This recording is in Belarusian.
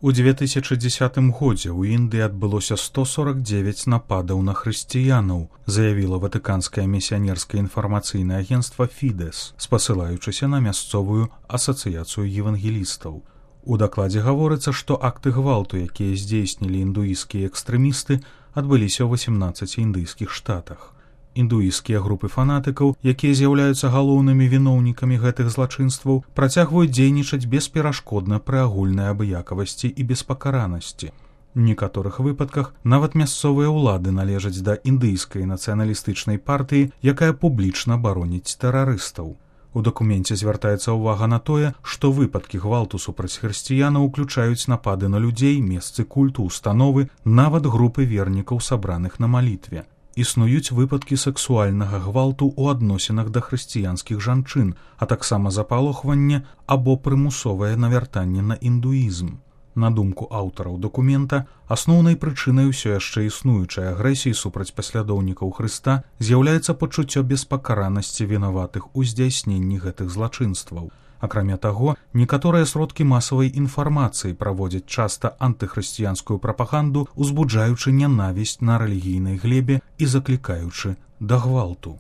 У 2010 годзе ў Індыі адбылося 149 нападаў на хрысціянаў, заявіла ватыканскае місіянерскае інфармацыйнае агенцтва «Фідэс», спасылаючыся на мясцовую асацыяцыю евангелістаў. У дакладзе гаворыцца, што акты гвалту, якія здзейснілі індуісцкія экстрэмісты, адбыліся ў 18 індыйскіх штатах. Індуісцкія групы фанатыкаў, якія з'яўляюцца галоўнымі віноўнікамі гэтых злачынстваў, працягваюць дзейнічаць бесперашкодна пры агульнай абыякавасці і беспакаранасці. У некаторых выпадках нават мясцовыя ўлады належаць да індыйскай нацыяналістычнай партыі, якая публічна бароніць тэрарыстаў. У дакуменце звяртаецца ўвага на тое, што выпадкі гвалту супраць хрысціянаў уключаюць напады на людзей, месцы культу, установы, нават групы вернікаў, сабраных на малітве. Існуюць выпадкі сексуальнага гвалту ў адносінах да хрысціянскіх жанчын, а таксама запалохванне або прымусовае навяртанне на індуізм. На думку аўтараў дакумента, асноўнай прычынай усё яшчэ існуючай агрэсіі супраць паслядоўнікаў Хрыста з'яўляецца пачуццё беспакаранасці вінаватых у здзяйсненні гэтых злачынстваў. Акрамя таго, некаторыя сродкі масавай інфармацыі праводзяць часта антыхрысціянскую прапаганду, узбуджаючы нянавісць на рэлігійнай глебе і заклікаючы да гвалту.